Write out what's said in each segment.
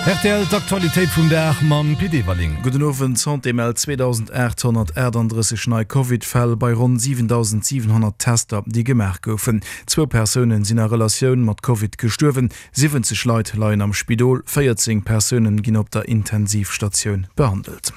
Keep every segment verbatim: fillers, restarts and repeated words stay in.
Rtl, D'Aktualitéit vum Dag mam Pit Everling. Gudden Owend, D'Santé mellt zweedausendaathonnertaachtanddrësseg nei Covid-Fäll bei ronn siwendausentsiwenhonnert Tester, déi gemaach goufen. Zwou Persoune sinn a Relatioun mat Covid gestuerwen, siwwenzeg Leit leien am Spidol, véierzéng Persoune ginn op der Intensivstatioun behandelt.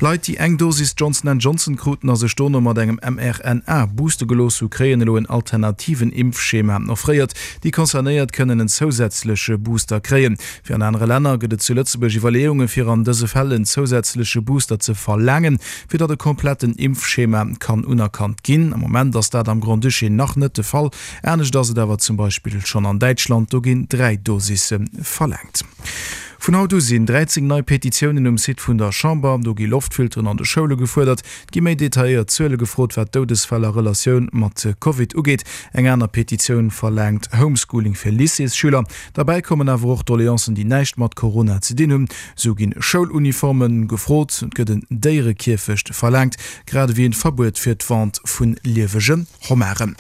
Leit, déi eng Dosis Johnson and Johnson kruten a sech dono mat engem M R N A booste gelooss hu, kréien elo en alternativen Impfschema offréiert. Déi Concernéiert kënnen en zousätzleche Booster kréien. Wéi an anere Länner gëtt et zu Lëtzebuerg Iwwerleeunge fir an dëse Fäll en zousätzleche Booster ze verlaangen, fir datt e kompletten Impfschema kann unerkannt ginn. Am Moment ass dat am Grand-Duché nach net de Fall. Anescht ass et awer zum Beispill schonn an Däitschland, do ginn dräi Dosisse verlaangt. Vun haut u sinn dräizéng nei Petitiounen um Site vun der Chamber. Do gi Loftfilteren an de Schoule gefuerdert, et gi méi detailléiert Zuele gefrot, wat d'Doudesfäll a Relatioun mat Covid ugeet. Eng aner Petitioun verlaangt Homeschooling fir Lycéesschüler. Derbäi kommen awer och Doleancen, déi näischt mat Corona ze dinn hunn. Sou ginn Schouluniforme gefrot, et gëtt en Déierekierfecht verlaangt, grad ewéi en Verbuet fir d'Vente vu liewege Hommaren.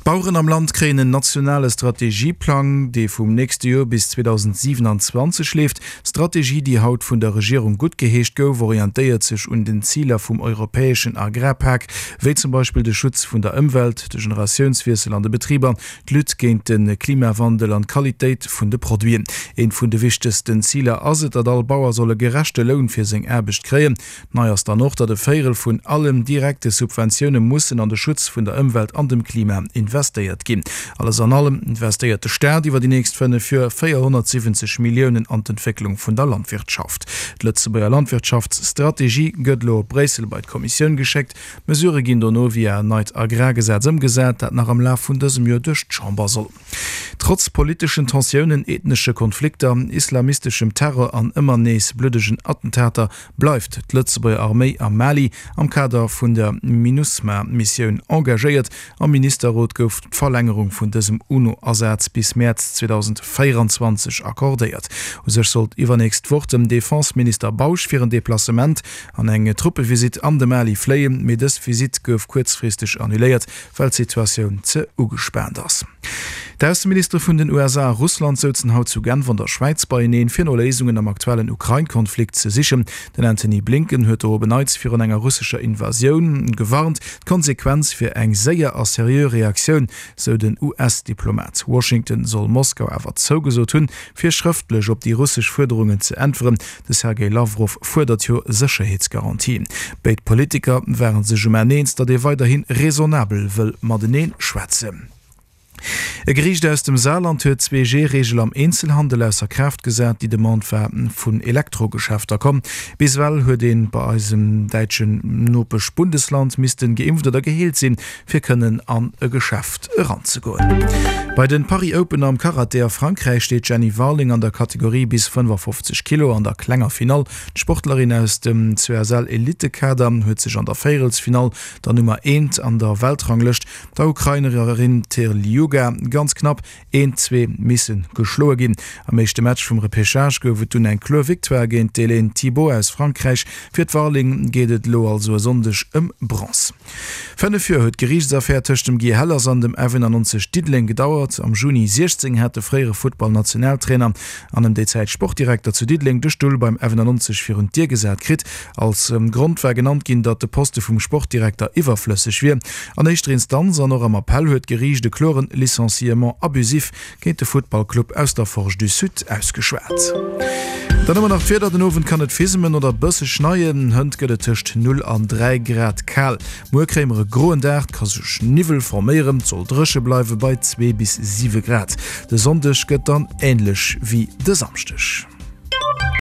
D'Baueren am Land kréien en nationale Strategieplang, dee vum nächste Joer bis zweedausendsiewenanzwanzeg leeft. D'Strategie, déi haut vun der Regierung guttgeheescht gouf, orientéiert sech un den Ziler vum europäeschen Agrarpak, wéi zum Beispill de Schutz vun der Ëmwelt, de Generatiounswiessel an de Betriber, d'Lutte géint de Klimawandel an d'Qualitéit vun de Produiten. Eent vun de wichtegsten Ziler ass et, datt all Bauer soll e gerechte Loun fir seng Aarbecht kréien. Nei ass dann och, datt e Véierel vun allen direkte Subventioune mussen an de Schutz vun der Ëmwelt an dem Klima investéiert ginn. Alles an allem investéiert de Staat iwwer déi nächst fënnef Joer véierhonnertsiwwenzeg Milliounen an d'Entwécklung vun der Landwirtschaft. D'Lëtzebuerger Landwirtschaftsstrategie gëtt elo op Bréissel bei d'Kommissioun geschéckt. D'Mesurë ginn dono via en neit Agrargesetz ëmgesat, dat nach am Laf vun dësem Joer duerch d'Chamber soll. Trotz politeschen Tensiounen, ethnesche Konflikter, islamisteschem Terror an ëmmer nees bluddegen Attentater bleift d'Lëtzebuerger Arméi am Mali am Kader vun der Minusma-Missioun engagéiert. Am Ministerrot gouf d'Verlängerung vun dësem UNO-Asaz bis Mäerz zweedausendvéieranzwanzeg accordéiert. U sech sollt iwwernächst Woch den Defenseminister Bausch fir en Deplacement an eng Truppevisitt an de Mali fléien, mee dës Visitt gouf kuerzfristeg annuléiert, well d'Situatioun ze ugespaant ass. D'Ausseministere vun den U S A a Russland souzen haut zu Genf an der Schwäiz beieneen, fir no Léisungen am aktuellen Ukrain-Konflikt ze sichen. Den Antony Blinken huet do op en Neits virun enger russescher Invasioun gewarnt. D'Konsequenz wier eng séier a seriö Reaktioun, sou den U S-Diplomat. Washington soll Moskau awer zougesot hunn, fir schrëftlech op déi russesch Fuerderungen ze äntweren. De Sergej Lawrow fuerdert jo Sécherheetsgarantien. Béid Politiker ware sech um Enn eens, datt ee weiderhi raisonnabel wëll matenee schwätzen. E Geriicht aus dem Saarland huet d'Zwee-G-Reegel am Eenzelhandel ausser Kraaft gesat. Déi Demande war vun Elektrogeschäfter komm. Bis ewell huet ee bei eisem däitschen Nopesch-Bundesland missten geimpft oder geheelt sinn, fir kënnen an e Geschäft eranzegoen. Bei den Paris Open am Karate a Frankräich steet d'Jenny Warling an der Kategorie bis fënnefafofzeg Kilo an der klenger Finall. D'Sportlerin aus dem C S L-Elitekader huet sech an der Véierelsfinall der Nummer eent an der Weltranglëscht, der Ukrainerin Terliuga, ganz knapp eent, zwee misse geschloe ginn. Am éischte Match vum Repêchage gouf et dunn eng kloer Victoire géint d'Hélène Thibault aus Frankräich. Fir d'Warling geet et elo also e Sonndeg ëm Bronz. Fënnef Joer huet d'Geriichtsaffär tëscht dem Guy Hellers an dem F eenannonzeg Diddeleng gedauert. Am Juni siechzéng hat de fréiere Futtballnationaltrainer an ëm déi Zäit Sportdirekter zu Diddeleng de Stull beim F eenannonzeg virun d'Dier gesat kritt. Als Grond war genannt ginn, datt de Poste vum Sportdirekter iwwerflësseg wier. An éischter Instanz an och am Appell huet d'Geriicht e kloren Licenciement abusif géint de Futtballclub aus der Forge du Sud ausgeschwat. Dann hu mer nach d'Wieder, Den Owend kann et fismen oder bësse schneien, hënt gëtt et tëscht null an dräi Grad kal. Muer kréie mer e groen Dag, et ka sech Niwwel forméieren, et soll dréche bleiwe bei zwee bis siwe Grad. De Sonndeg gëtt dann änlech wéi de Samschdeg.